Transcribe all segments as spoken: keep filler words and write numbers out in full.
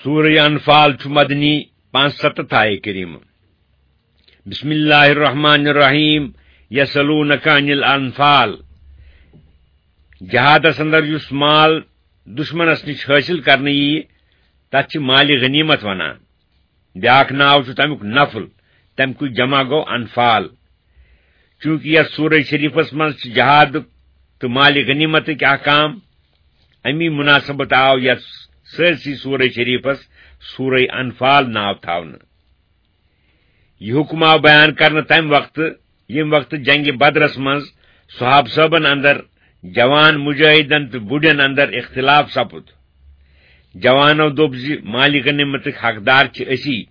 سورہ انفال چھُ مدنی، پانٛژھ ستتھ آیہِ کریمہ۔ بسم اللہ الرحمن الرحیم۔ یسألونک عن الانفال۔ جہادس اندر یُس مال دشمنس نِش حٲصِل کرنہٕ ییہِ، تتھ چھِ مالِ غنیمت ونان۔ بیاکھ ناو چھُ تمیُک نفل، تمکُے جمع گوٚو انفال۔ چونکہ یتھ سورہ شریفس منٛز چھِ جہادُک تہٕ مالِ غنیمتٕکۍ احکام، امی مناسبت آو یتھ سٲرسٕے سورہ شریفس سورہ انفال ناو تھاونہٕ۔ یہِ حکم آو بیان کرنہٕ تمہِ وقتہٕ، ییٚمہِ وقتہٕ جنگِ بدرس منٛز صحابہٕ صٲبن اندر جوان مجاہدن تہٕ بُڈٮ۪ن اندر اختلاف سپُد۔ جوانو دوٚپ زِ مالِ غنیمتٕکۍ حقدار چھِ أسی۔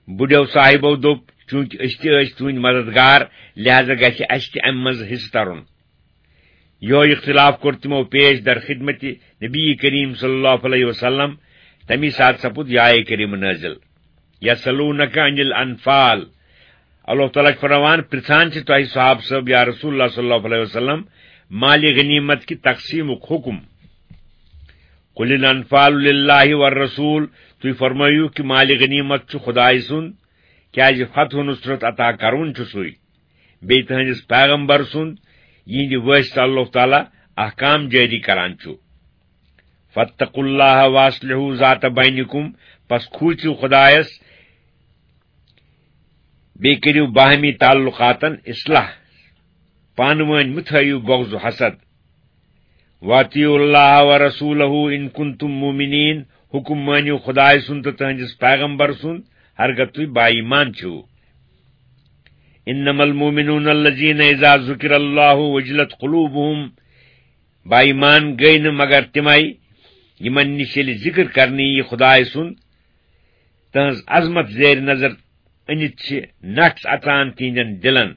بُڈٮ۪و صاحبو دوٚپ، چونکہ أسۍ تہِ ٲسۍ تُہٕنٛدۍ مددگار، لہذا گژھِ اسہِ تہِ امہِ منٛز حصہٕ ترُن۔ یہوے اختلاف کوٚر تِمو پیش در خدمت نبی کریم صلی اللہ علیہ وسلم۔ تمی ساتہٕ سپُد یہ آیہ کریمہ نازل، یسألونک عن الانفال۔ اللہ تعالیٰ چھُ فرماوان، پرژھان چھِ تۄہہِ صحابہٕ صٲب یا رسول اللہ صلی اللہ علیہ وسلم مالِ غنیمت کہِ تقسیمُک حکم۔ قل الانفال للہ والرسول، تُہۍ فرمٲیِو کہِ مالِ غنیمت چھُ خدایہِ سُنٛد، کیازِ فتح و نصرت عطا کرون چھُ سُے، بیٚیہِ تُہنٛدِس پیغمبر سُنٛد، یِہنٛدِ وٲسطہٕ اللہ تعالیٰ احکام جٲری کران چھُ۔ فاتقوا اللہ واصلحوا ذات بینکم، پس کھوژِو خدایس، بیٚیہِ کٔرِو باہمی تعلقاتن اصلاح، پانہٕ وٲنۍ مہٕ تھٲیِو بغض و حسد۔ واطیعوا اللہ ورسولہ ان کنتم مؤمنین، حکم مٲنِو خدایہِ سُنٛد تہٕ تُہنٛدِس پیغمبر سُنٛد، ہرگاہ تُہۍ با ایمان چھِو۔ انما المؤمنون الذین اذا ذکر اللہ وجلت قلوبہم، با ایمان گٔے نہٕ مگر تِمے، یِمن نِش ییٚلہِ ذکر کرنہٕ ییہِ خدایہِ سُنٛد، تہنٛز عظمت زیر نظر أنِتھ چھِ نٹھ اژان تِہنٛدٮ۪ن دِلن۔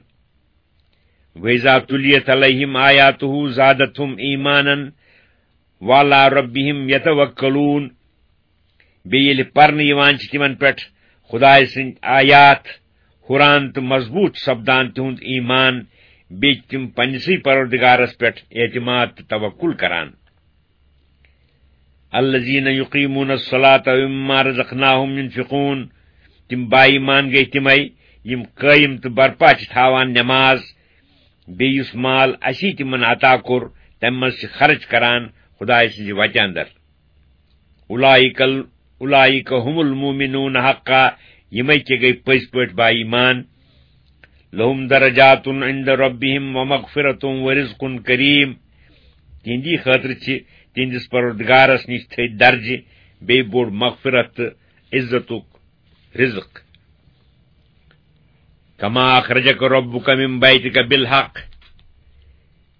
وَإِذَا تُلِيَتْ عَلَيْهِمْ آيَاتُهُ زَادَتْهُمْ إِيمَانًا وَعَلَىٰ رَبِّهِمْ يَتَوَكَّلُونَ۔ بیٚیہِ ییٚلہِ پرنہٕ یِوان چھِ تِمن پٮ۪ٹھ خدایہِ سٕنٛدۍ آیات، ہُران تہٕ مضبوٗط سپدان تِہُنٛد ایمان، بیٚیہِ چھِ تِم پننِسٕے پروردگارس پٮ۪ٹھ اعتماد تہٕ توکل کران۔ الذين يقيمون الصلاة ومما رزقناهم ينفقون، تِم با ایمان گٔے تِمے یِم قٲیِم تہٕ برپا چھِ تھاوان نماز، بیٚیہِ یُس مال اسی تِمن عطا کوٚر، تمہِ منٛز چھِ خرٕچ کران خدایہِ سٕنٛزِ وتہِ اندر۔ اولئک ال-، اولئک هم المؤمنون حقا، یِمے کہِ گٔے پٔزۍ پٲٹھۍ با ایمان۔ لهم درجات عند ربهم ومغفرة ورزق كريم۔ تِہنٛدی خٲطرٕ چھِ تِہنٛدِس پروردگارس نِش تھٔدۍ درجہِ، بیٚیہِ بوٚڑ مغفرت تہٕ عزتُک رزق۔ كما أخرجك ربك من بيتك بالحق۔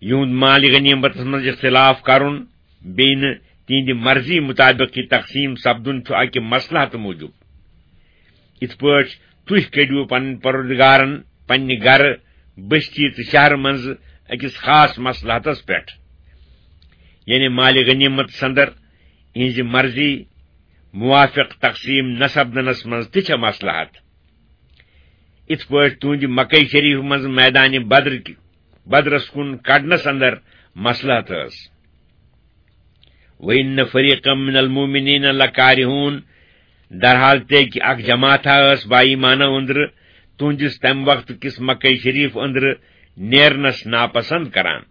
یِہُنٛد مالِ غنیمتس منٛز اختلاف کرُن، بیٚیہِ نہٕ تِہنٛدِ مرضی مُطابق یہِ تقسیٖم سپدُن چھُ اکہِ مصلحتہٕ موٗجوٗب۔ یِتھ پٲٹھۍ تُہۍ کٔڑِو پنٕنۍ پروردگارن پننہِ گرٕ، بستی تہٕ شہرٕ منٛزٕ أکِس خاص مصلحتس پٮ۪ٹھ، یعنی مالِ غنیمتس اندر یِہنٛزِ مرضی موافق تقسیٖم نہ سپدنس منٛز تہِ چھےٚ مصلحت۔ یِتھ پٲٹھۍ تُہنٛدِ مکہ شریف منٛز میدانِ بدر کہِ، بدرس کُن کڑنس اندر مصلحت ٲس۔ وَإِنَّ فَرِيقًا مِنَ الْمُؤْمِنِينَ لَكَارِهُونَ، درحال تہِ کہِ اکھ جماعتھا ٲس با ایمانو أنٛدرٕ تُہنٛدِس تمہِ وقتہٕ کِس مکہ شریف أنٛدرٕ نیرنس ناپسند کران۔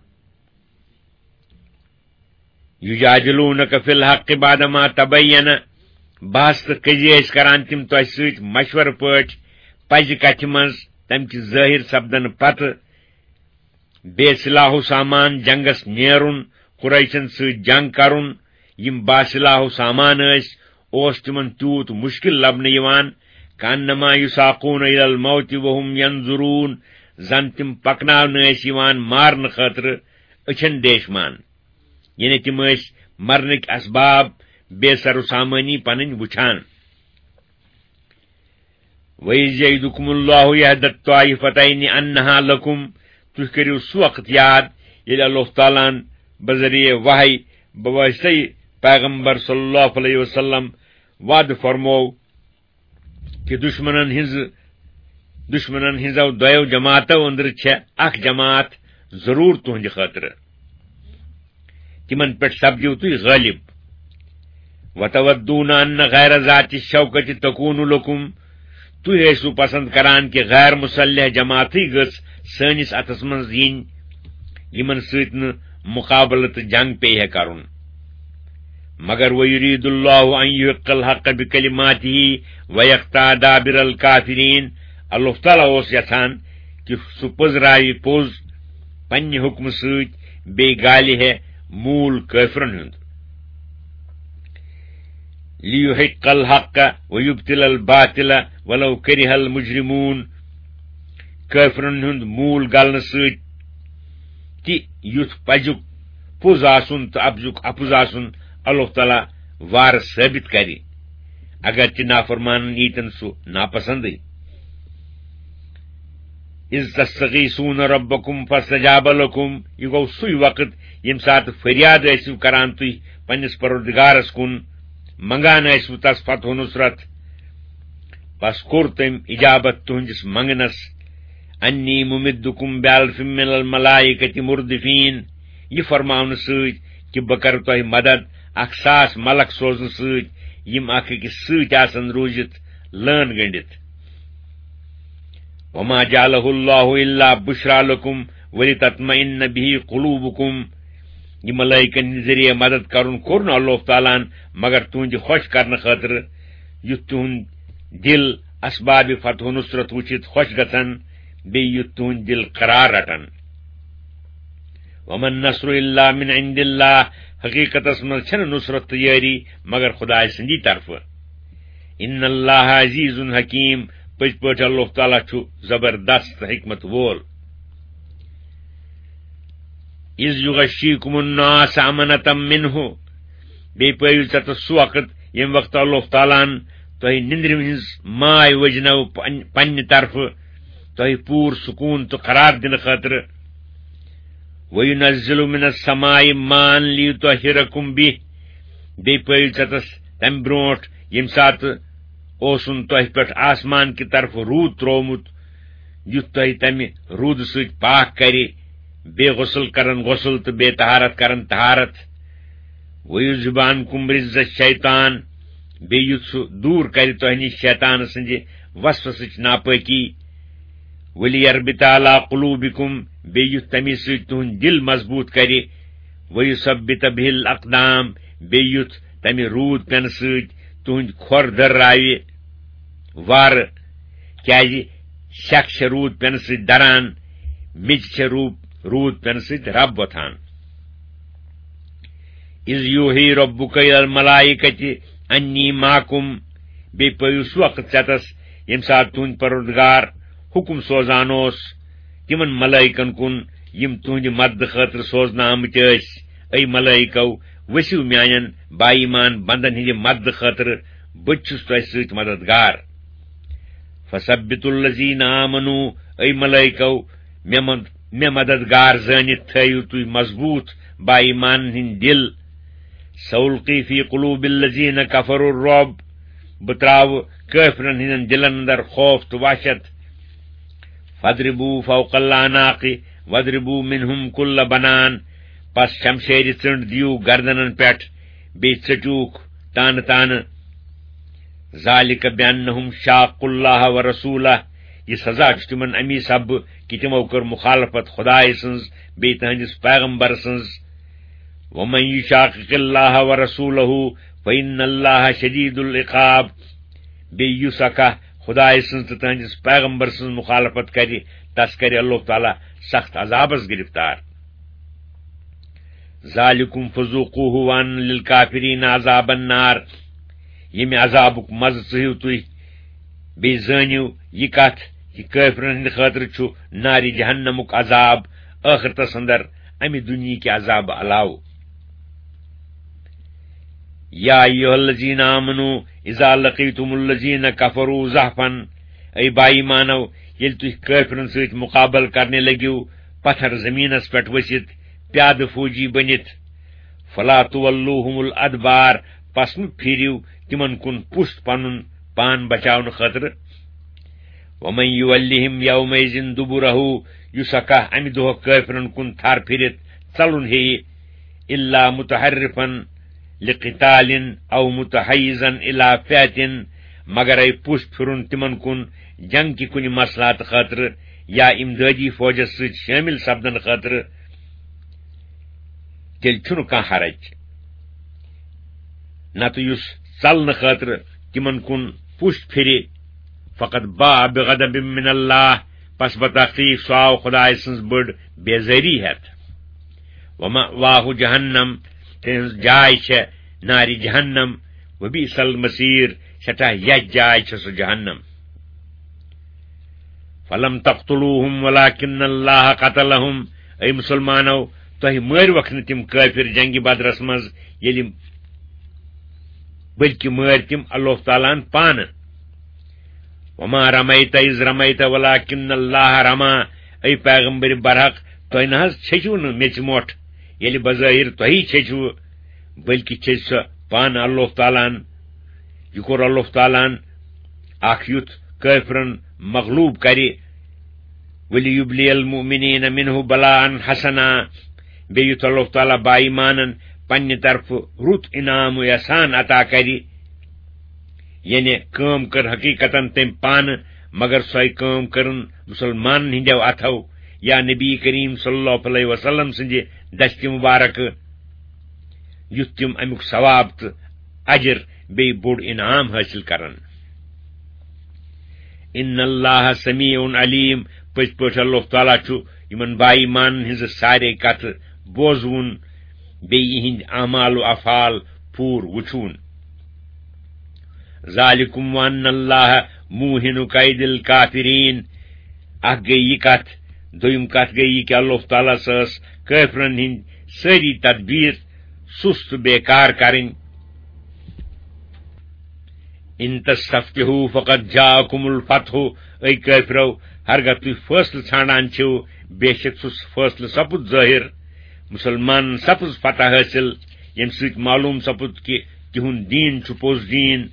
يُجَادِلُونَكَ فِي الْحَقِّ بَعْدَمَا تَبَيَّنَ، بحث تہٕ قضیہِ ٲسۍ کران تِم تۄہہِ سۭتۍ مشورٕ پٲٹھۍ پزِ کتھِ منٛز، تمہِ کہِ ظٲہِر سپدنہٕ پتہٕ۔ بے سلاح و سامان جنگس نیرُن، قریشن سۭتۍ جنگ کرُن، یِم با سلاح و سامان ٲسۍ، اوس تِمن تیوٗت مشکل لبنہٕ یِوان، کانما یساقون الی الموت وهم ینظرون، زن تِم پکناونہٕ ٲسۍ یِوان مارنہٕ خٲطرٕ أچھن ڈیشمان، یعنی تِم ٲسۍ مرنٕکۍ اسباب بے سر و سامانی پنٕنۍ وٕچھان۔ وَإِذْ يَعِدُكُمُ اللَّهُ إِحْدَى الطَّائِفَتَيْنِ أَنَّهَا لَكُمْ، تُہۍ کٔرِو سُہ وقت یاد ییٚلہِ اللہ تعالیٰ ہن بذریعہ وحی بواسطے پیغمبر صلی اللہ علیہ وسلم وعدٕ فرموو کہِ دشمنن ہٕنٛزٕ، دشمنن ہٕنٛزو دۄیو جماعتو أنٛدرٕ چھےٚ اکھ جماعت ضروٗر تُہنٛدِ خٲطرٕ۔ تِمن پٮ۪ٹھ سپدِو تُہۍ غٲلب۔ وتودون ان غیر ذات الشوکۃ تکون لکم، تُہۍ ٲسِو پسند کران کہِ غیر مصلح جماعتٕے گٔژھ سٲنِس اتھس منٛز یِنۍ، یِمن سۭتۍ نہٕ مقابلہٕ تہٕ جنگ پیٚیہِ ہے کرُن۔ مگر ویرید اللہ ان یحق الحق بکلماتہ ویقطع دابر الکافرین، اللہ تعالیٰ اوس یژھان کہِ سُہ پٔزراوِ پوٚز پننہِ حُکمہٕ سۭتۍ، بیٚیہِ گالہِ ہے موٗل کٲفرن ہُنٛد۔ لیحق الحق ویبطل الباطل ولو کرہ المجرمون، کٲفرن ہُنٛد موٗل گلنہٕ سۭتۍ تہِ یُتھ پزیُک پوٚز آسُن تہٕ اپزُک اپُز آسُن اللہ تعالیٰ وارٕ ثٲبت کرِ، اگرچہِ نافرمانن ییٖتن سُہ ناپسندٕے۔ اذ تستغیثون ربکم فاستجاب لکم، یہِ گوٚو سُے وقت ییٚمہِ ساتہٕ فریاد ٲسِو کران تُہۍ پننِس پروردگارس کُن، منگان ٲسِو تس فتح و نصرت، پس کوٚر تٔمۍ اجابت تُہنٛدِس منگنس، انی ممدکم بالف من الملائکۃ مردفین، یہِ فرماونہٕ سۭتۍ کہِ بہٕ کرٕ تۄہہِ مدد اکھ ساس ملک سوزنہٕ سۭتۍ، یِم اکھ أکِس سۭتۍ آسن روٗزِتھ لٲن گٔنڈِتھ۔ وما جعلہ اللہ الا بشری لکم ولتطمئن بہ قلوبکم، یہِ ملائکن ہٕنٛدِ ذٔریعہٕ مدد کرُن کوٚر نہٕ اللہ تعالیٰ ہن مگر تُہنٛدِ خۄش کرنہٕ خٲطرٕ، یُتھ تُہنٛد دِل اسباب فتح و نصرت وٕچھِتھ خۄش گژھن، بیٚیہِ یُتھ تُہنٛد دِل قرار رٹن۔ وما النصر الا من عند اللہ، حقیقتس منٛز چھنہٕ نصرت تہٕ یٲری مگر خدایہِ سٕنٛدی طرفہٕ۔ ان اللہ عزیز حکیم، پٔزۍ پٲٹھۍ اللہ تعالیٰ چھُ زبردست حکمت وول۔ اذ یغشیکم النعاس امنة منہ، بیٚیہِ پٲیِو ژےٚ سُہ وقت ییٚمہِ وقتہٕ اللہ تعالیٰ ہن تۄہہِ نِندرِ ہٕنٛز ماے وجنٲو پن-، پننہِ طرفہٕ تۄہہِ پوٗرٕ سکوٗن تہٕ قرار دِنہٕ خٲطرٕ۔ وَيُنَزِّلُ مِنَ السَّمَاءِ مَاءً لِيُطَهِّرَكُمْ بِهِ، بیٚیہِ پٲیِو ژےٚ تَس تَمہِ برونٛٹھ ییٚمہِ ساتہٕ اوسُن تۄہہِ پٮ۪ٹھ آسمان کہِ طرفہٕ روٗد ترٛوومُت، یُتھ تۄہہِ تَمہِ روٗدٕ سۭتۍ پاک کَرِ، بیٚیہِ غسل کَرَن غسل تہٕ بیٚیہِ طہارت کَرَن طہارت۔ وَيُذْهِبَ عَنْكُمْ رِجْزَ الشَّيْطَانِ، بیٚیہِ یُتھ سُہ دوٗر کَرِ تۄہہِ نِش شیطان سٕنٛدِ وسوسٕچ ناپٲکی۔ وَلِيَرْبِطَ عَلَى قُلُوبِكُمْ، بیٚیہِ یُتھ تَمی سۭتۍ تُہُنٛد دِل مضبوٗط کَرِ۔ وَيُثَبِّتَ بِهِ الْأَقْدَامَ، بیٚیہِ یُتھ تَمہِ روٗد پٮ۪نہٕ سۭتۍ تُہٕنٛدۍ کھۄر دٔرراوِ وارٕ، کیٛازِ شک چھےٚ روٗد پٮ۪نہٕ سۭتۍ دَران، میٚژِ چھےٚ روٗ-، روٗد پٮ۪نہٕ سۭتۍ رَب وۄتھان۔ اِذْ یوٗحی رَبُّکَ اِلَى الْمَلَائِکَةِ أَنِّی مَعَکُمْ، بیٚیہِ پٲیِو سُہ وقت ژٮ۪تَس، ییٚمہِ ساتہٕ تُہُنٛد پروردگار حُکُم سوزان اوس تِمن ملائکن کُن، یِم تُہٕنٛدِ مددٕ خٲطرٕ سوزنہٕ آمٕتۍ ٲسۍ۔ اے ملائکو، ؤسِو میانٮ۪ن با ایمان بندن ہٕنٛدِ مددٕ خٲطرٕ، بہٕ تہِ چھُس تۄہہِ سۭتۍ مددگار۔ فثبتوا الذین آمنوا، اے ملائکو، مےٚ مد-، مےٚ مددگار زٲنِتھ تھٲیِو تُہۍ مضبوٗط با ایمانن ہٕنٛدۍ دِل۔ سألقی فی قلوب الذین کفروا الرعب، بہٕ ترٛاوٕ کٲفرن ہٕنٛدٮ۪ن دِلن اندر خوف تہٕ وحشت۔ فاضربوا فوق الاعناق واضربوا منهم کل بنان، پس شمشیرِ ژٔنٛڈ دِیِو گردنن پٮ۪ٹھ، بیٚیہِ ژٔٹِوکھ تانہٕ تانہٕ۔ ذالک بأنہم شاقوا اللہ ورسولہ، یہِ سزا چھُ تِمن امی سببہٕ کہِ تِمو کٔر مخالفت خدایہِ سٕنٛز بیٚیہِ تٕہنٛدِس پیغمبر سٕنٛز۔ ومن یشاقق اللہ ورسولہ فإن اللہ شدید العقاب، بیٚیہِ یُس اکھا خدایہِ سٕنٛز تہٕ تٕہنٛدِس پیغمبر سٕنٛز مخالفت کرِ، تس کرِ اللہ تعالیٰ سخت عذابس گرفتار۔ ذالکم فذوقوہ وان للکافرین عذاب النار، ییٚمہِ عذابُک مزٕ ژٕہِو تُہۍ، بیٚیہِ زٲنِو یہِ کتھ، یہِ کٲفرن ہٕنٛدِ خٲطرٕ چھُ نارِ جہنمُک عذاب ٲخرتس اندر امہِ دُنیہٕکہِ عذابہٕ علاوٕ۔ یا ایھا الذین آمنوا اذا لقیتم الذین کفروا زحفا، اے با ایمانو، ییٚلہِ تُہۍ کٲفرن سۭتۍ مُقابلہٕ کرنہِ لٔگِو پتھر زٔمیٖنس پٮ۪ٹھ ؤسِتھ، پیادٕ فوجی بٔنِتھ، فلا تولوہم الادبار، پس مہٕ پھیرِو تِمن کُن پُشت پنُن پان بچاونہٕ خٲطرٕ۔ ومن یولہم یومئذ دبرہ، یُس ہا کانٛہہ امہِ دۄہ کٲفرن کُن تھر پھِرِتھ ژلُن ہیٚیہِ، الا متحرفا لِقِتَالٍ أَوْ مُتَحَيِّزًا إِلَىٰ فِئَةٍ، مگر اے پُش پھِرُن تِمن کُن جنگ کہِ کُنہِ مصلحت خٲطرٕ یا امدٲدی فوجس سۭتۍ شٲمِل سپدنہٕ خٲطرٕ، تیٚلہِ چھُنہٕ کانٛہہ حرج۔ نتہٕ یُس ژلنہٕ خٲطرٕ تِمن کُن پُش پھِرِ، فَقَدْ بَاءَ بِغَضَبٍ مِّنَ اللَّهِ، پس بتحقیق سُہ آو خدایہِ سٕنٛز بٔڑ بیزٲری ہٮ۪تھ۔ وَمَأْوَاهُ جَهَنَّمُ، تِہٕنٛز جاے چھےٚ نارِ جہنم، وَبِئْسَ الْمَصِيرُ، سٮ۪ٹھاہ یَتھ جاے چھےٚ سۄ جہنم۔ فَلَمْ تَقْتُلُوهُمْ وَلَٰكِنَّ اللَّهَ قَتَلَهُمْ، اے مُسلمانو، تۄہہِ مٲرۍوکھ نہٕ تِم کٲفِر جنگِ بدرس منٛز، ییٚلہِ، بلکہِ مٲرۍ تِم اللہ تعالیٰ ہن پانہٕ۔ وَمَا رَمَيْتَ إِذْ رَمَيْتَ وَلَٰكِنَّ اللَّهَ رَمَىٰ، اے پیغمبر برحق، تۄہہِ نہ حظ چھٔچِو نہٕ میٚژِ مۄٹھ، ییٚلہِ بظٲہِر تۄہی چھٔچِوٕ، بلکہِ چھٔچ سۄ پانہٕ اللہ تعالیٰ ہن۔ یہِ کوٚر اللہ تعالیٰ ہن اکھ یُتھ کٲفرن مغلوب کرِ، وَلِيُبْلِيَ الْمُؤْمِنِينَ مِنْهُ بَلَاءً حَسَنًا، بیٚیہِ یُتھ اللہ تعالیٰ بایمانن پننہِ طرفہٕ رُت انعام و احسان عطا کرِ۔ یعنی کٲم کٔر حقیقتاً تٔمۍ پانہٕ، مگر سۄے کٲم کٔرٕن مُسلمانن ہٕنٛدیو اتھو یا نبی کریم صلی اللہ علیہ وسلم سٕنٛدِ دستِ مبارکہٕ، یُتھ تِم امیُک ثواب تہٕ اجر بیٚیہِ بوٚڑ انعام حٲصِل کرن۔ اِنَّ اللَّهَ سَمِيعٌ عَلِيمٌ، پٔزۍ پٲٹھۍ اللہ تعالیٰ چھُ یِمن بایمانن ہٕنٛزٕ سارے کتھٕ بوزوُن، بیٚیہِ یِہِنٛدۍ اعمال و افعال پوٗرٕ وُچھوُن۔ ذَٰلِكُمْ وَأَنَّ اللَّهَ مُوهِنُ كَيْدِ الْكَافِرِينَ۔ اکھ گٔے یہِ کتھ، دوٚیِم کتھ گٔے یہِ کہِ اللہ تعالیٰ ہس ٲس کٲفرن ہٕنٛدۍ سٲری تدبیر سُست تہٕ بیکار کرٕنۍ۔ اِن تستفتحوا فقد جاءکم الفتح، اے کٲفرو، ہرگاہ تُہۍ فٲصلہٕ ژھانڈان چھِو، بے شک سُہ فٲصلہٕ سپُد ظٲہِر، مُسلمانن سپٕز فتح حٲصِل، ییٚمہِ سۭتۍ معلوم سپُد کہِ تِہُنٛد دیٖن چھُ پوٚز دیٖن،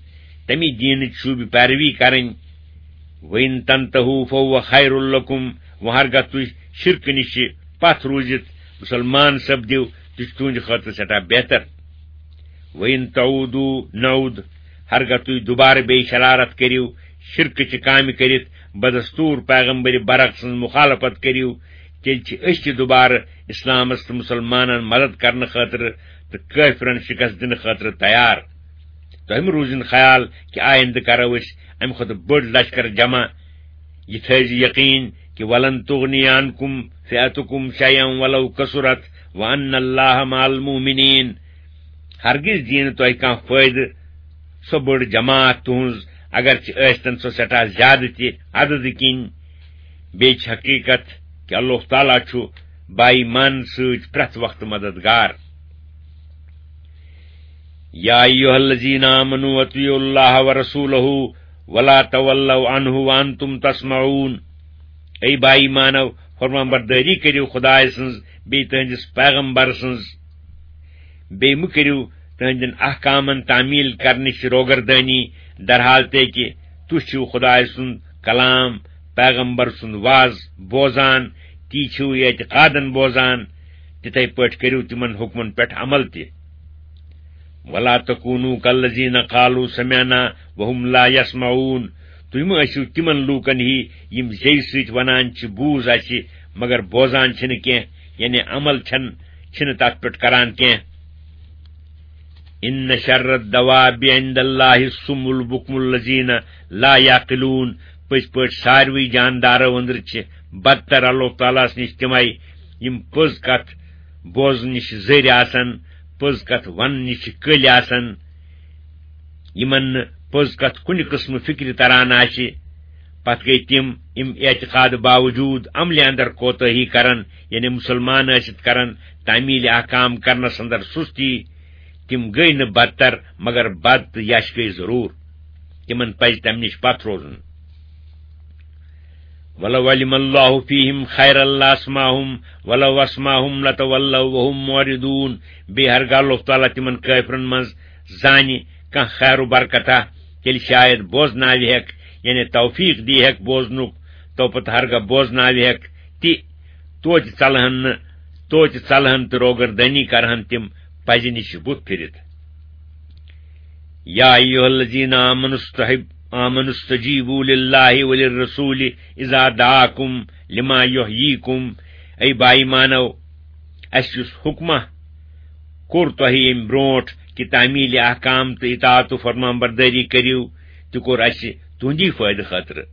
تَمی دیٖنٕچ چھُو بہِ پیروی کرٕنۍ۔ وَإِن تَنتَهُوا فَهُوَ خَيْرٌ لَكُمْ، وۄنۍ ہرگاہ تُہۍ شرکہٕ نِش پتھ روٗزِتھ مُسلمان سپدِو، تہِ چھُ تُہٕنٛدِ خٲطرٕ سٮ۪ٹھاہ بہتر۔ وَإِن تَعُودُوا نَعُدْ، ہرگاہ تُہۍ دُبارٕ بیٚیہِ شرارت کٔرِو، شرکہٕ چہِ کامہِ کٔرِتھ بدستوٗر پیغمبر برحق سٕنٛز مُخالفت کٔرِو، تیٚلہِ چھِ أسۍ تہِ دُبارٕ اِسلامس تہٕ مُسلمانن مدد کرنہٕ خٲطرٕ تہٕ کٲفرن شکست دِنہٕ خٲطرٕ تیار۔ تۄہہِ مہٕ روٗزِن خیال کہِ آیندٕ کرو أسۍ امہِ کھۄتہٕ بٔڑ لشکر جمع۔ یہِ تھٲوزِ یقین کہِ وَلَن تُغْنِيَ عَنْكُمْ فِئَتُكُمْ شَيْئًا وَلَوْ كَثُرَتْ وَأَنَّ اللَّهَ مَعَ الْمُؤْمِنِينَ۔ ہرگز دِیہِ نہٕ تۄہہِ کانٛہہ فٲیدٕ سۄ بٔڑ جماعت تُہٕنٛز، اگرچہِ ٲسۍتن سۄ سٮ۪ٹھاہ زیادٕ تہِ عددٕ کِنۍ۔ بیٚیہِ چھِ حقیٖقت کہِ اللہ تعالیٰ چھُ بایمان سۭتۍ پرٛٮ۪تھ وقتہٕ مددگار۔ يا أيها الذين آمنوا أطيعوا الله ورسوله ولا تولوا عنه وأنتم تسمعون۔ اے با ایمانو، فرمان بردٲری کٔرِو خدایہِ سٕنٛز بیٚیہِ تُہٕنٛدِس پیغمبر سٕنٛز۔ بیٚیہِ مہٕ کٔرِو تُہٕنٛدٮ۪ن احکامن تعمیل کرنٕچ روگردٲنی، درحال تہِ کہِ تُہۍ چھِو خدایہِ سُنٛد کلام، پیغمبر سُنٛد وعظ بوزان، تی چھِو اعتقادن بوزان، تِتھے پٲٹھۍ کٔرِو تِمن حُکمن پٮ۪ٹھ عمل تہِ۔ ولا تكونوا كالذين قالوا سمعنا وهم لا يسمعون۔ تُہۍ مہٕ ٲسِو تِمن لوٗکن ہی، یِم زیٚوِ سۭتۍ ونان چھِ، "بوٗز اَسہِ، مگر بوزان چھِنہٕ کینٛہہ"، یعنی عمل چھَن، چھِنہٕ تَتھ پٮ۪ٹھ کران کینٛہہ۔ إن شر الدواب عند الله الصم البكم الذين لا يعقلون۔ پٔزۍ پٲٹھۍ ساروٕے جاندارو أنٛدرٕ چھِ بدتر اللہ تعالیٰ ہَس نِش تِمے، یِم پٔز کتھ بوزنہٕ نِش زٔرۍ آسن، پٔز کتھ وننہٕ نِش چھِ کٔلۍ آسن، یِمن نہٕ پٔز کتھ کُنہِ قٕسمہٕ فِکرِ تران آسہِ۔ پتہٕ گٔے تِم، یِم اعتقاد باوجوٗد عملہِ اندر کوتٲہی کرن، یعنی مُسلمان ٲسِتھ کرن تعمیل احکام کرنس اندر سُستی۔ تِم گٔے نہٕ بدتر، مگر بد تہٕ یش گٔے ضروٗر۔ تِمن پزِ تمہِ نِش پتھ روزُن۔ ولو علم الله فيهم خيرا لاسمعهم ولو اسمعهم لتولوا وهم معرضون۔ بیٚیہِ ہرگاہ اللہ تعالیٰ تِمن کٲفرن منٛز زانہِ کانٛہہ خیر و برکتہ، تیٚلہِ شاید بوزناوِ ہٮ۪کھ، یعنی توفیق دی ہٮ۪کھ بوزنُک، تو پتہٕ ہرگاہ بوزناوِ ہٮ۪کھ تہِ، توتہِ ژلہن نہٕ، توتہِ ژلہن تہٕ روگردٲنی کرہن تِم پزِ نِش بُتھ پھِرِتھ۔ یا ایھا الذین آمنوا استحب آمنوا استجیبوا للہ وللرسول اذا دعاکم لما یحییکم۔ اے با ایمانو، اسہِ یُس حکمہ کوٚر تۄہہِ ییٚمہِ برونٛٹھ کہِ تعمیل احکام تہٕ اطاعت و فرمان بردٲری کٔرِو، تہِ کوٚر اسہِ تُہندی فٲیدٕ خٲطرٕ۔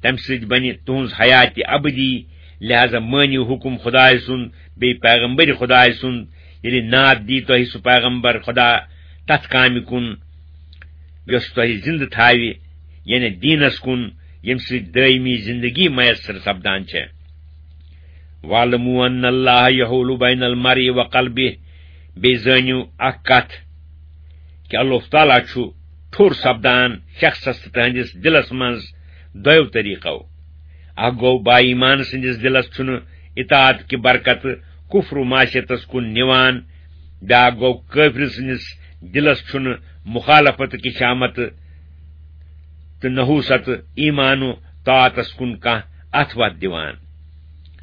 تمہِ سۭتۍ بنہِ تُہنز حیات ابدی۔ لہذا مٲنِو حکم خدایہِ سُند بیٚیہِ پیغمبر خدایہِ سُند۔ ییٚلہِ ناد دی تۄہہِ سُہ پیغمبر خدا تتھ کامہِ کُن یۄس تۄہہِ زندٕ تھاوِ، یعنی دیٖنس کُن، ییٚمہِ سۭتۍ دٲیمی زندگی میسر سپدان چھےٚ۔ وَاعْلَمُوا أَنَّ اللَّهَ يَحُولُ بَيْنَ الْمَرْءِ وَقَلْبِهِ۔ بیٚیہِ زٲنِو اکھ کتھ کہِ اللہ تعالیٰ چھُ ٹھوٚر سپدان شخصس تہٕ تہنٛدِس دِلس منٛز دۄیو طریقو۔ اکھ گوٚو با ایمان سٕنٛدِس دِلس چھُنہٕ اطاعت کہِ برکتہٕ کفر و معصیتس کُن نِوان، بیاکھ گوٚو کٲفرِ سٕنٛدِس دِلس چھُنہٕ مخالفت کہِ شامت تہٕ نحوست ایمان و طاعتس کُن کانٛہہ اتھ وتھ دِوان۔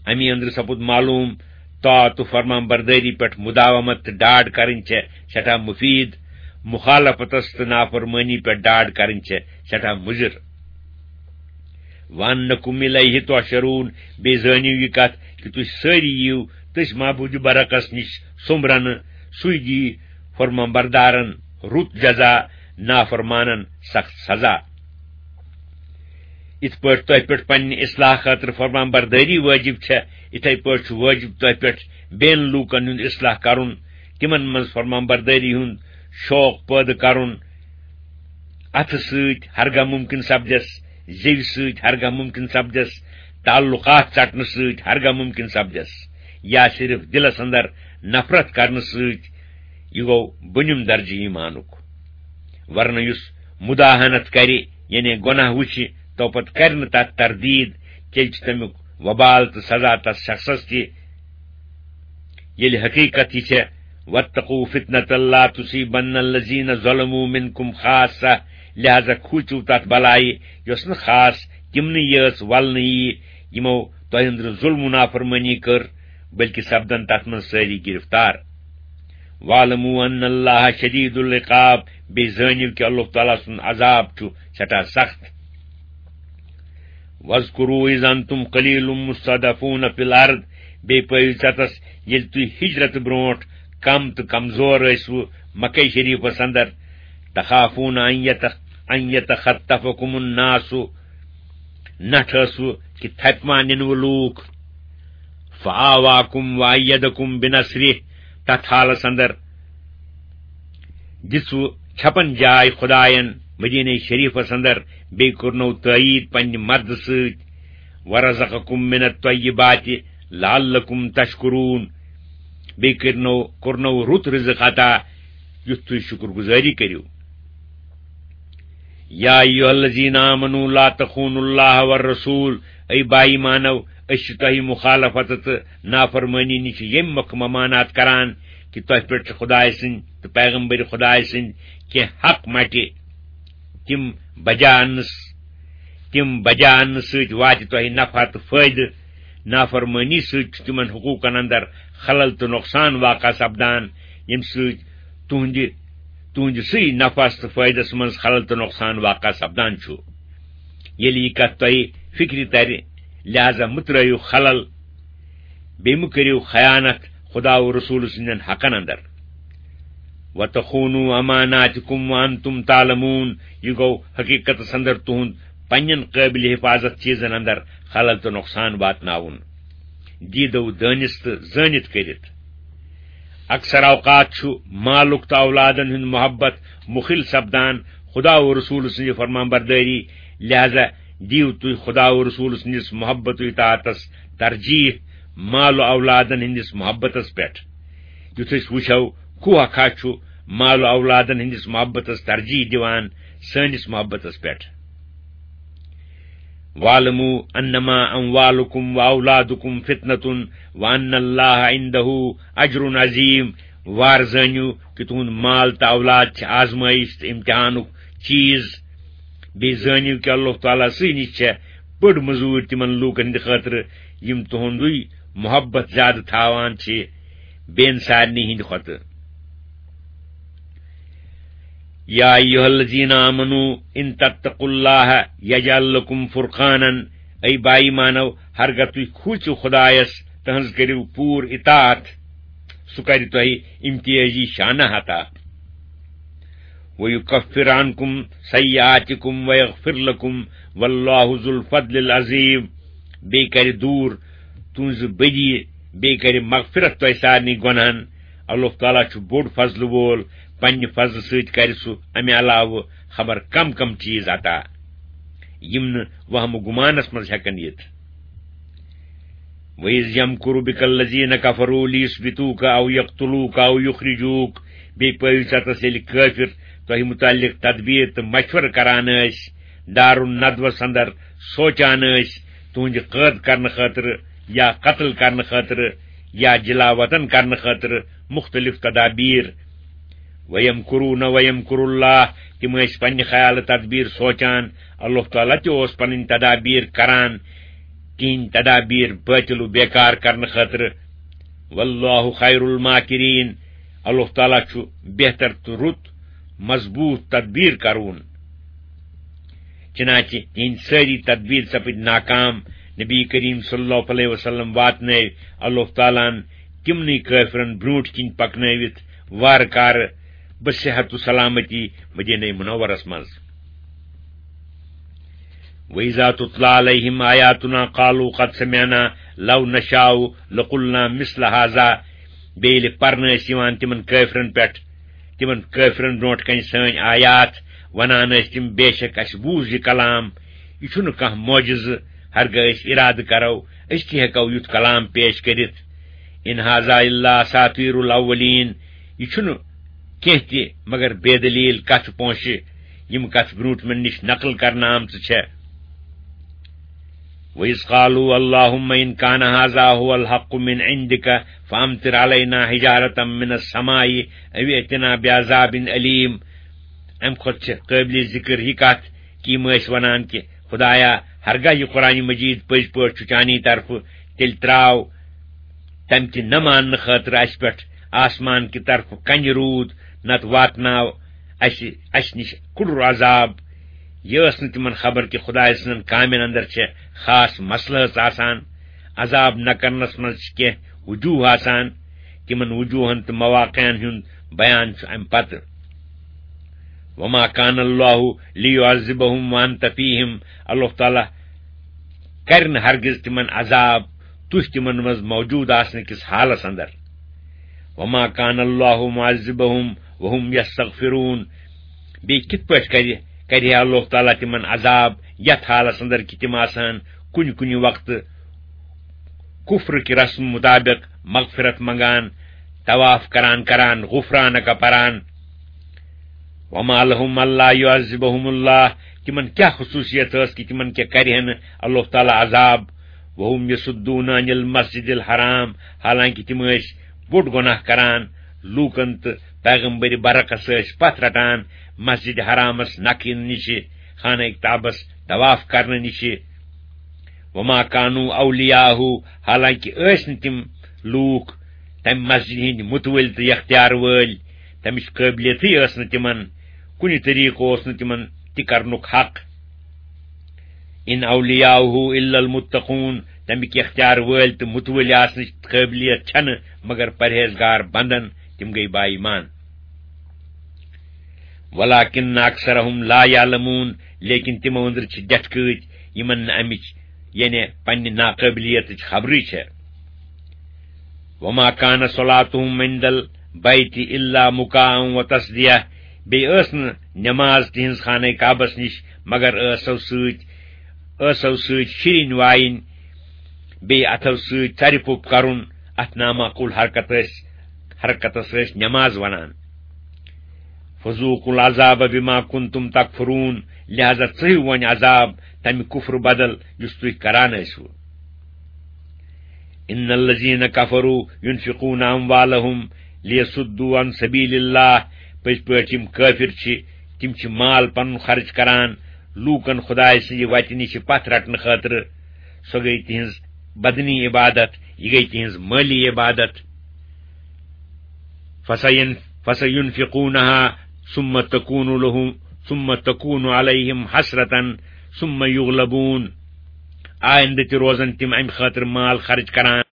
امی أنٛدرٕ سپُد معلوم، طاعت و فرمان بردٲری پٮ۪ٹھ مداومت تہٕ ڈاڈ کرٕنۍ چھےٚ سٮ۪ٹھاہ مفید، مخالفتس تہٕ نافرمٲنی پٮ۪ٹھ ڈاڈ کرٕنۍ چھےٚ سٮ۪ٹھاہ مضر۔ وَأَنَّكُمْ إِلَيْهِ تُحْشَرُونَ۔ بیٚیہِ زٲنِو یہِ کتھ کہِ تُہۍ سٲری یِیِو تٔسۍ معبود برحقس نِش سوٚمبرنہٕ، سُے دِیہِ فرمان بردارن رُت جزا، نافرمانن سخت سزا۔ یِتھ پٲٹھۍ تۄہہِ پٮ۪ٹھ پننہِ اصلاح خٲطرٕ فرمان بردٲری وٲجِب چھےٚ، یِتھے پٲٹھۍ چھُ وٲجِب تۄہہِ پٮ۪ٹھ بیٚین لوٗکن ہُنٛد اصلاح کرُن، تِمن منٛز فرمان بردٲری ہُنٛد شوق پٲدٕ کرُن۔ اتھٕ سۭتۍ ہرگاہ ممکن سپدٮ۪س، زیوِ سۭتۍ ہرگاہ ممکن سپدٮ۪س، تعلقات ژٹنہٕ سۭتۍ ہرگاہ ممکن سپدٮ۪س، یا صرف دلس اندر نفرت کرنہٕ سۭتۍ، یہِ گوٚو بۄنِم درجہٕ ایمانُک۔ ورنہ یُس مداہنت کرِ، یعنی گۄناہ وٕچھِ، تو پتہٕ کرِ نہٕ تتھ تردید، تیٚلہِ چھُ تمیُک وبال تہٕ سزا تس شخصس تہِ۔ ییٚلہِ حقیقت یہِ چھےٚ، وَاتَّقُوا فِتْنَةً لَا تُصِيبَنَّ الَّذِينَ ظَلَمُوا مِنْكُمْ خَاصَّةً، لہذا کھوٗژِو تتھ بلایہِ یۄس نہٕ خاص تِمنٕے یٲژ ولنہٕ یِیہِ یِمو تۄہہِ أنٛدرٕ ظلم و نافرمٲنی کٔر، بلکہ سپدن تتھ منٛز سٲری گرفتار۔ وَاعْلَمُوا أَنَّ اللَّهَ شَدِيدُ الْعِقَابِ، بیٚیہِ زٲنِو کہِ اللہ تعالیٰ سُنٛد عذاب چھُ سٮ۪ٹھاہ سخت۔ وَاذْكُرُوا إِذْ أَنْتُمْ قَلِيلٌ مُسْتَضْعَفُونَ فِي الْأَرْضِ، بیٚیہِ پٲیِو ژَتَس ییٚلہِ تُہۍ ہِجرت برونٛٹھ کم تہٕ کمزور ٲسوٕ مکہ شریٖفَس اندر، تَخَافُونَ أَنْ يَتَ-، أَنْ يَتَخَطَّفَكُمُ النَّاسُ، نٹھ ٲسوٕ کہِ تھپہِ ما نِنوٕ لوٗکھ۔ فَآوَاكُمْ وَأَيَّدَكُمْ بِنَصْرِهِ، تَتھ حالس اندر دِژوٕ چھپن جاے خداین مدینہ شریفس اندر، بیٚیہِ کوٚرنو تٲیید پننہِ مددٕ سۭتۍ۔ وَرَزَقَكُمْ مِنَ الطَّيِّبَاتِ لَعَلَّكُمْ تَشْكُرُونَ، بیٚیہِ کٔرنو، کوٚرنو رُت رزق عطا، یُتھ تُہۍ شُکر گُزٲری کٔرِو۔ یا ایھا الذین آمنوا لا تخونوا اللہ والرسول، اے با ایمانو، أسۍ چھِ تۄہہِ مخالفت تہٕ نافرمٲنی نِش ییٚمہِ مۄکھٕ ممانعت کران کہِ تۄہہِ پٮ۪ٹھ چھِ خدایہِ سٕنٛدۍ تہٕ پیغمبر خدایہِ سٕنٛدۍ کینٛہہ حق مٹہِ، تِم بجا اننس، تِم بجا اننہٕ سۭتۍ واتہِ تۄہہِ نفع تہٕ فٲیدٕ۔ نافرمٲنی سۭتۍ چھُ تِمن حقوٗقن اندر خلل تہٕ نۄقصان واقع سپدان، ییٚمہِ سۭتۍ تُہنٛدِ، تُہنٛدِ سٕے نفعس تہٕ فٲیدس منٛز خلل تہٕ نۄقصان واقع سپدان چھُ۔ ییٚلہِ یہِ کتھ تۄہہِ فکرِ ترِ، لہذا مہٕ ترٲیِو خلل، بیٚیہِ مہٕ کٔرِو خیانت خدا و رسول سٕنٛدٮ۪ن حقن اندر۔ وَتَخُونُوا أَمَانَاتِكُمْ وَأَنْتُمْ تَعْلَمُونَ، یہِ گوٚو حقیقتس اندر تُہُنٛد پننٮ۪ن قٲبلِ حفاظت چیٖزن اندر خلل تہٕ نۄقصان واتناوُن۔ دیٖدو دٲنِس تہٕ زٲنِتھ کٔرِتھ۔ اکثر اوقات چھُ مالُک تہٕ اولادن ہُنٛد محبت مُخِل سپدان خدا و رسول سٕنٛزِ فرمان بردٲری، لہذا دِیِو تُہۍ خدا و رسول سٕنٛدِس محبت و اطاعتس ترجیح مال و اولادن ہٕنٛدِس محبتس پٮ۪ٹھ۔ یُتھ أسۍ وٕچھو، کوہ کھا چھُ مال و اولادن ہٕنٛدِس محبتس ترجیح دِوان سٲنِس محبتس پٮ۪ٹھ۔ وَاعْلَمُوا أَنَّمَا أَمْوَالُكُمْ وَأَوْلَادُكُمْ فِتْنَةٌ وَأَنَّ اللَّهَ عِنْدَهُ أَجْرٌ عَظِيمٌ۔ وار زٲنِو کہِ تُہُنٛد مال تہٕ اولاد چھِ آزمٲیِش تہٕ امتحانُک چیٖز۔ بیٚیہِ زٲنِو کہِ اللہ تعالیٰ سٕے نِش چھےٚ بٔڑ مٔزوٗرۍ تِمن لوٗکن ہٕنٛدِ خٲطرٕ، یِم تُہُنٛدُے محبت زیادٕ تھاوان چھِ بیٚین سارنٕے ہٕنٛدِ کھۄتہٕ۔ یا ایھا الذین آمنوا ان تتقوا اللہ یجعل لکم فرقانا، اے با ایمانو، ہرگاہ تُہۍ کھوٗژِو خدایس، تہنٛز کٔرِو پوٗرٕ اطاعت، سُہ کرِ تۄہہِ امتیازی شانہ عطا۔ ویکفر عنکم سیئاتکم ویغفر لکم واللہ ذو الفضل العظیم۔ بیٚیہِ کرِ دوٗر تُہنٛزٕ بدی، بیٚیہِ کرِ مغفرت تۄہہِ سارنٕے گۄناہن۔ اللہ تعالیٰ چھُ بوٚڑ فضلہٕ وول، پننہِ فضلہٕ سۭتۍ کرِ سُہ امہِ علاوٕ خبر کم کم چیز عطا، یِم نہٕ وہمہٕ گُمانس منٛز ہٮ۪کن یِتھ۔ وَإِذْ يَمْكُرُ بِكَ الَّذِينَ كَفَرُوا لِيُثْبِتُوكَ أَوْ يَقْتُلُوكَ أَوْ يُخْرِجُوكَ، بیٚیہِ پٲوِو ژےٚ تَس ییٚلہِ کٲفِر تۄہہِ مُتعلِق تدبیٖر تہٕ مشورٕ کران ٲسۍ، دارالندوَس اندر سونچان ٲسۍ تُہنٛدِ قٲد کرنہٕ خٲطرٕ یا قتل کرنہٕ خٲطرٕ یا جلا وطن کرنہٕ خٲطرٕ مُختٔلِف تدابیٖر۔ وَيَمْكُرُونَ وَيَمْكُرُ اللَّهُ، تِم ٲسۍ پننہِ خیالہٕ تدبیٖر سونچان، اللہ تعالیٰ تہِ اوس پنٕنۍ تدابیٖر کران، تِہنٛدۍ تدابیٖر باطل و بیکار کرنہٕ خٲطرٕ۔ واللہ خیر الماکرین، اللہ تعالیٰ چھُ بہتر تہٕ رُت مضبوٗط تدبیٖر کرون۔ چنانچہ تِہنٛدۍ سٲری تدبیٖر سپٕدۍ ناکام۔ نبی کریم صلی اللہ علیہ وسلم واتنٲوۍ اللہ تعالیٰ ہن تِمنٕے کٲفرن برونٛٹھ کِنۍ پکنٲوِتھ وارٕ کارٕ بصحت و سلامتی مدینہ منورس منٛز۔ وَإِذَا تُتْلَى عَلَيْهِمْ آيَاتُنَا قَالُوا قَدْ سَمِعْنَا لَوْ نَشَاءُ لَقُلْنَا مِثْلَ هَذَا۔ بیٚیہِ ییٚلہِ پرنہٕ ٲسۍ یِوان تِمن کٲفرن پٮ۪ٹھ، تِمن کٲفرن برونٛٹھ کنہِ سٲنۍ آیات، ونان ٲسۍ تِم، بے شک اسہِ بوٗز یہِ کلام، یہِ چھُنہٕ کانٛہہ معجزٕ، ہرگاہ أسۍ ارادٕ کرو، أسۍ تہِ ہٮ۪کو یُتھ کلام پیش کٔرِتھ۔ إِنْ هَذَا إِلَّا أَسَاطِيرُ الْأَوَّلِينَ، یہِ چھُنہٕ کینٛہہ تہِ مگر بے دلیل کتھ پونٛسہٕ، یِم کتھ برونٛٹھ مےٚ نِش نقل کرنہٕ آمژٕ چھےٚ۔ وَإِذْ قَالُوا اللَّهُمَّ إِنْ كَانَ هَذَا هُوَ الْحَقُّ مِنْ عِنْدِكَ فَأَمْطِرْ عَلَيْنَا حِجَارَةً مِنَ السَّمَاءِ أَوْ ائْتِنَا بِعَذَابٍ أَلِيمٍ۔ امہِ کھۄتہٕ چھِ قٲبلِ ذِکر یہِ کَتھ کہِ یِم ٲسۍ وَنان کہِ خۄدایا، ہرگاہ یہِ قرآنِ مجیٖد پٔزۍ پٲٹھۍ چھُ چانی طرفہٕ، تیٚلہِ ترٛاو تَمہِ کہِ نہ ماننہٕ خٲطرٕ اَسہِ پٮ۪ٹھ آسمان کہِ طرفہٕ کَنہِ روٗد، نَتہٕ واتناو اَسہِ، اَسہِ نِش کُڑُر عذاب۔ یہِ ٲس نہٕ تِمن خبر کہِ خۄداے سٕنٛدٮ۪ن کامٮ۪ن اندر چھےٚ خاص مسلحت آسان۔ عذاب نہ کرنس منٛز چھِ کینٛہہ وجوہ آسان۔ تِمن وجوہن تہٕ مواقعن ہُنٛد بیان چھُ اَمہِ پتہٕ۔ وما كان الله ليعذبهم وأنت فيهم، اللہ تعالیٰ کرِ نہٕ ہرگز تِمن عذاب، تُہۍ تِمن منٛز موجود آسنہٕ کِس حالس اندر۔ وما كان الله معذبهم وهم يستغفرون۔ بیٚیہِ کِتھ پٲٹھۍ کرِ، کرِ ہے اللہ تعالیٰ تِمن عذاب یتھ حالس اندر کہِ تِم آسن کُنہِ کُنہِ وقتہٕ کفر کہِ رسم مطابق مغفرت منگان، طواف کران کران، غفرانک پران۔ وما لهم ألا يعذبهم الله، تِمن کیٛاہ خصوٗصیت ٲس کہِ تِمن کیٛاہ کرِ ہے نہٕ اللہ تعالیٰ عذاب؟ وهم يصدون عن المسجد الحرام، حالانکہِ تِم ٲسۍ بوٚڑ گۄناہ کران، لوٗکن تہٕ پیغمبر برحقس ٲسۍ پتھ رٹان مسجد حرامس نکھٕ یِنہٕ نِشہِ، خانہ کعبس طواف کرنہٕ نِشہِ۔ وما كانوا أولياءه، حالانکہِ ٲسۍ نہٕ تِم لوٗکھ تمہِ مسجد ہٕنٛدۍ مُتوٲلۍ تہٕ یختیار وٲلۍ، تمِچ قٲبلیتٕے ٲس نہٕ تِمن، کُنہِ طریٖقہٕ اوس نہٕ تِمن تہِ کرنُک حق۔ إن أولياؤه إلا المتقون، تمِکۍ یختیار وٲلۍ تہٕ مُتوٲلۍ آسنٕچ قٲبلیت چھنہٕ مگر پرہیزگار بندن، تِم گٔے با ایمان۔ ولكن أكثرهم لا يعلمون، لیکن تِمو أنٛدرٕ چھِ ڈٮ۪ٹھکٲتۍ، یِمن نہٕ امِچ، یعنی پننہِ ناقٲبلیتٕچ خبرٕے چھےٚ۔ وما كان صلاتهم عند البيت إلا مكاء وتصدية، بیٚیہِ ٲس نہٕ نماز تِہنٛز خانہ کعبس نِش مگر ٲسو سۭتۍ، ٲسو سۭتۍ شِرِنۍ وایِنۍ، بیٚیہِ اتھو سۭتۍ ژرِ پوٚپ کرُن، اتھ نامعقول حرکت ٲسۍ، حرکتس ٲسۍ نماز ونان۔ فذوقوا العذاب بما كنتم تكفرون، لہذا ژٔہِو وۄنۍ عذاب تمہِ کفر بدل یُس تُہۍ کران ٲسِو۔ إن الذين كفروا ينفقون أموالهم ليصدوا عن سبيل الله، پٔزۍ پٲٹھۍ یِم کٲفِر چھِ، تِم چھِ مال پنُن خرٕچ کران لوٗکن خۄداے سٕنٛزِ وتہِ نِش پتھ رٹنہٕ خٲطرٕ۔ سۄ گٔے تِہنٛز بدنی عبادت، یہِ گٔے تِہنٛز مٲلی عبادت۔ فسین-، فسینفقونہا، ثم تكون لهم، ثم تكون عليهم حسرة، ثم يغلبون۔ آئندٕ تہِ روزن تِم امہِ خٲطرٕ مال خرٕچ کران۔